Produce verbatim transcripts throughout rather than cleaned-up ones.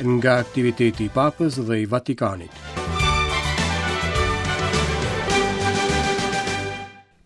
Nga aktiviteti i Papës dhe i Vatikanit.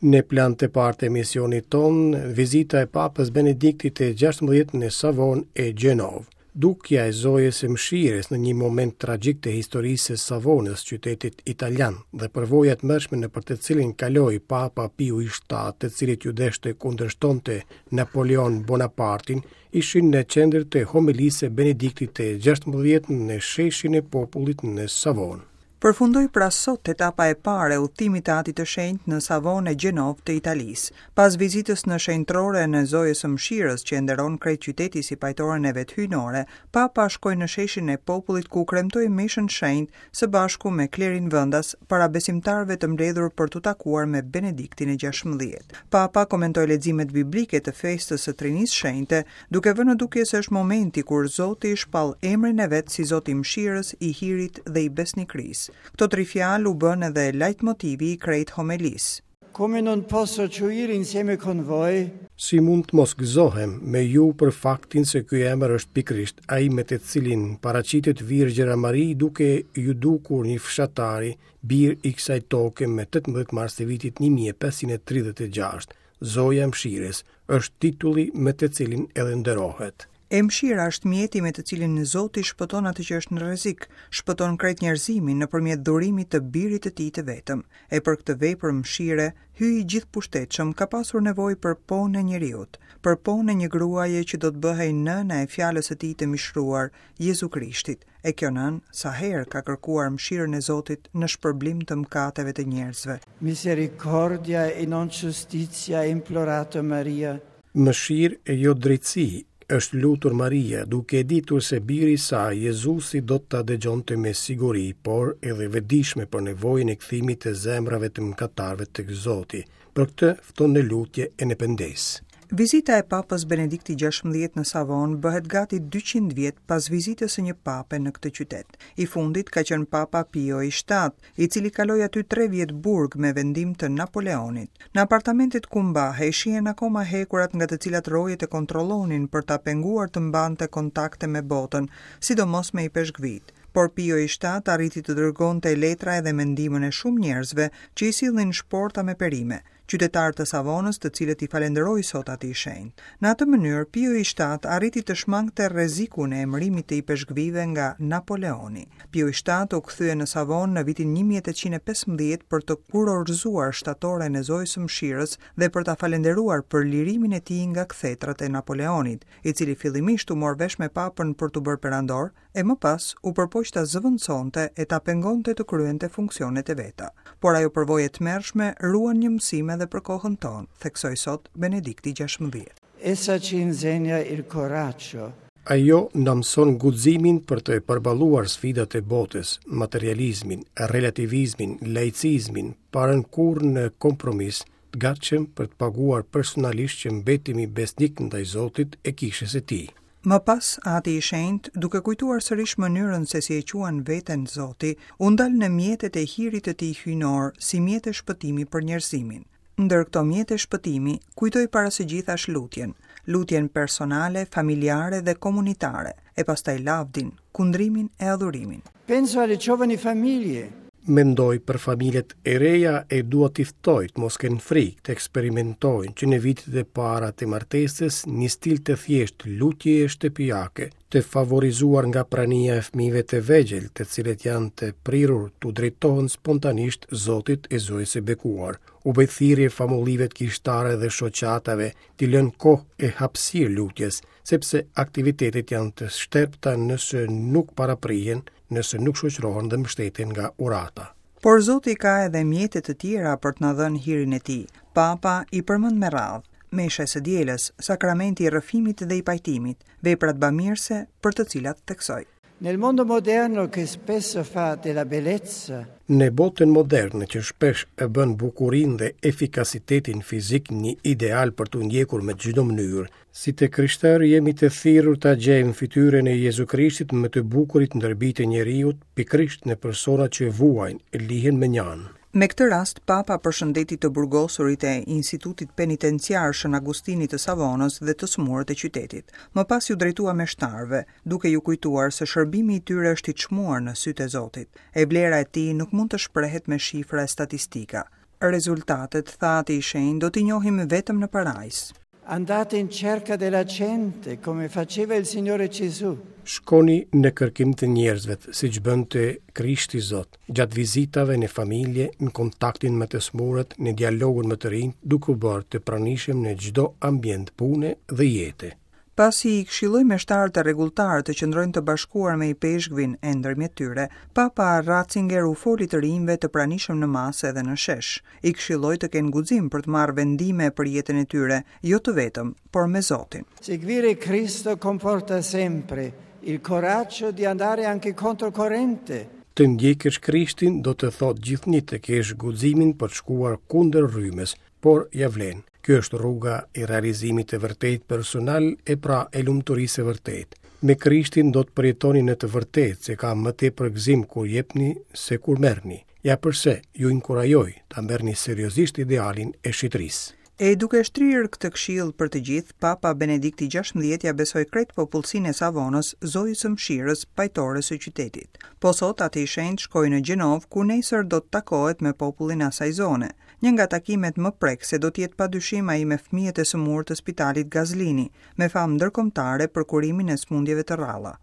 Në plan të parë të emisionit tonë, vizita e Papës Benediktit të gjashtëmbëdhjetë në Savonë e Gjenovë. Dukja e Zojës së Mëshirës në një moment tragjik të historisë së Savonës, qytetit italian, dhe përvoja e tmerrshme nëpër të cilin kaloi Papa Piu i shtatë, të cilit ju desh të kundërshtonte Napoleon Bonapartin, ishin në qendër të homilisë së Benediktit të gjashtëmbëdhjetë në sheshin e popullit në Savonë. Përfundoi pra sot etapa e parë e udhëtimit të Atit të Shenjtë në Savonë e Gjenovë të Italisë. Pas vizitës në shenjtëroren e Zojës së Mëshirës, që e nderon krejt qyteti si pajtoren e vet hyjnore, Papa shkoi në sheshin e popullit ku kremtoi meshën shenjtë së bashku me klerin vendas para besimtarëve të mbledhur për t'u takuar me Benediktin e gjashtëmbëdhjetë. Papa komentoi leximet biblike të festës së Trinisë Shenjte, duke vënë në dukje se është momenti kur Zoti shpall emrin e vet si Zoti i Mëshirës, i Hirit dhe i Besnikërisë. Këto tri fjalë u bën edhe lajtmotivi i krejt homelisë. Come non posso gioire insieme con voi? Si mund të mos gëzohem me ju për faktin se ky emër është pikërisht ai me të cilin paraqitet Virgjëra Mari duke ju dukur një fshatari, bir i kësaj toke me tetëmbëdhjetë mars të vitit një mijë e pesëqind e tridhjetë e gjashtë. Zoja e Mëshirës është titulli me të cilin edhe nderohet. E mëshira është mjeti me të cilin Zoti shpëton atë që është në rrezik, shpëton krejt njerëzimin nëpërmjet dhurimit të birit të tij të vetëm. E për këtë vepër mëshire, Hyji i gjithëpushtetshëm ka pasur nevojë për ponë e njeriut, për ponë e një gruaje që do të bëhej nëna e fjalës së tij të mishruar, Jezu Krishtit. E kjo nënë sa herë ka kërkuar mëshirën e Zotit në shpërblim të mëkateve të njerëzve. Misericordia e non giustizia implorato Maria. Mëshirë e jo drejtësi është lutur Maria, duke e ditur se biri i saj, Jezusi, do ta dëgjonte me siguri, por edhe vetëdijshme për nevojën e kthimit të zemrave të mëkatarëve tek Zoti. Për këtë fton në lutje e në pendesë. Vizita e Papës Benedikti gjashtëmbëdhjetë në Savonë bëhet gati dyqind vjet pas vizitës së një pape në këtë qytet. I fundit ka qenë Papa Pio i shtatë, i cili kaloi aty tre vjet burg me vendim të Napoleonit. Në apartamentet ku mbahej shihen akoma hekurat nga të cilat rojet e kontrollonin për ta penguar të mbante kontakte me botën, sidomos me ipeshkvit. Por Pio i shtatë arriti të dërgonte letra edhe me ndihmën e shumë njerëzve që i sillnin shporta me perime, qytetarë të Savonës, të cilët i falenderoi sot atij shenjt. Në atë mënyrë, Pio i shtatë arriti të shmangte rrezikun e emërimit të ipeshkvive nga Napoleoni. Pio i shtatë u kthye në Savonë në vitin një mijë e tetëqind e pesëmbëdhjetë për të kurorzuar shtatoren e Zojës së Mëshirës dhe për ta falenderuar për lirimin e tij nga kthetrat e Napoleonit, i cili fillimisht u mor vesh me papën për t'u bërë perandor, e më pas u përpoq ta zëvendësonte e ta pengonte të kryente funksionet e veta. Por ajo përvojë e tmerrshme ruan një mësim edhe për kohën tonë, theksoi sot Benedikti gjashtëmbëdhjetë. Essa ci insegna il coraggio. Ajo na mëson guximin për të përballuar sfidat e botës, materializmin, relativizmin, laicizmin, pa rënë kurrë në kompromis, të gatshëm për të paguar personalisht që mbetemi besnik ndaj Zotit e kishës së tij. Më pas, Ati i Shenjtë, duke kujtuar sërish mënyrën se si e quan veten Zoti, u ndal në mjetet e hirit të tij hyjnor si mjete shpëtimi për njerëzimin. Ndër këto mjete shpëtimi, kujtoi para së gjithash lutjen, lutjen personale, familjare dhe komunitare, e pastaj lavdin, kundrimin e adhurimin. Penso alle giovani famiglie. Mendoj për familjet e reja e dua t'i ftoj të mos kenë frikë, të eksperimentojnë që në vitet e para të martesës një stil të thjeshtë lutjeje shtëpiake, të favorizuar nga prania e fëmijëve të vegjël, të cilët janë të prirur t'u drejtohen spontanisht Zotit e Zojës së Bekuar. U bëj thirrje famullive të kishtare dhe shoqatave t'i lënë kohë e hapësirë lutjes, sepse aktivitetet janë të shterpta nëse nuk paraprihen, nëse nuk shoqërohen dhe mbështeten nga urata. Por Zoti ka edhe mjete të tjera për të na dhënë hirin e tij. Papa i përmend me radhë: mesha e së dielës, sakramenti i rrëfimit dhe i pajtimit, veprat bamirëse për të cilat theksoi. Nel mondo moderno che spesso fa della bellezza Në botën moderne që shpesh e bën bukurinë dhe efikasitetin fizik një ideal për t'u ndjekur me çdo mënyrë, si të krishterë jemi të thirrur ta gjejmë fytyrën e Jezu Krishtit më të bukurit ndër bijtë e njeriut, pikërisht në persona që vuajnë e lihen me njanë. Me këtë rast, Papa përshëndeti të burgosurit e Institutit Penitenciar Shën Agustinit të Savonës dhe të sëmurët e qytetit. Më pas iu drejtua meshtarëve, duke ju kujtuar se shërbimi i tyre është i çmuar në sytë e Zotit. E vlera e tij nuk mund të shprehet me shifra e statistika. Rezultatet, tha Ati i Shenjtë, do t'i njohim vetëm në parajsë. Andate in cerca della gente, come faceva il Signore Gesù. Shkoni në kërkim të njerëzve, siç bënte Krishti Zot, gjatë vizitave në familje, në kontaktin me të sëmurët, në dialogun me të rinj, duke u bërë të pranishëm në çdo ambient pune dhe jete. Pasi i këshilloi meshtarët e rregulltarë të qëndrojnë të bashkuar me ipeshkvin e ndërmjet tyre, Papa Ratzinger u foli të rinjve të pranishëm në masë edhe në shesh. I këshilloi të kenë guxim për të marrë vendime për jetën e tyre, jo të vetëm, por me Zotin. Seguire Cristo comporta sempre il coraggio di andare anche controcorrente. Të ndjekësh Krishtin do të thotë gjithnjë të kesh guximin për të shkuar kundër rrymës, por ja vlen. Kjo është rruga e realizimit të vërtet personal e pra e lumturisë së vërtetë. Me Krishtin do të përjetoni në të vërtetë se ka më tepër gëzim kur jepni se kur merrni. Ja përse ju inkurajoj ta merrni seriozisht idealin e shitrisë. E duke shtrirë këtë këshill për të gjithë, Papa Benedikti gjashtëmbëdhjetë ja besoi krejt popullsinë e Savonës, Zojës së Mëshirës, pajtores së qytetit. Po sot Ati i Shenjtë shkoi në Gjenovë, ku nesër do të takohet me popullin e asaj zone. Një nga takimet më prekëse do të jetë padyshim ai me fëmijët e sëmurë të spitalit Gazlini, me famë ndërkombëtare për kurimin e sëmundjeve të rralla.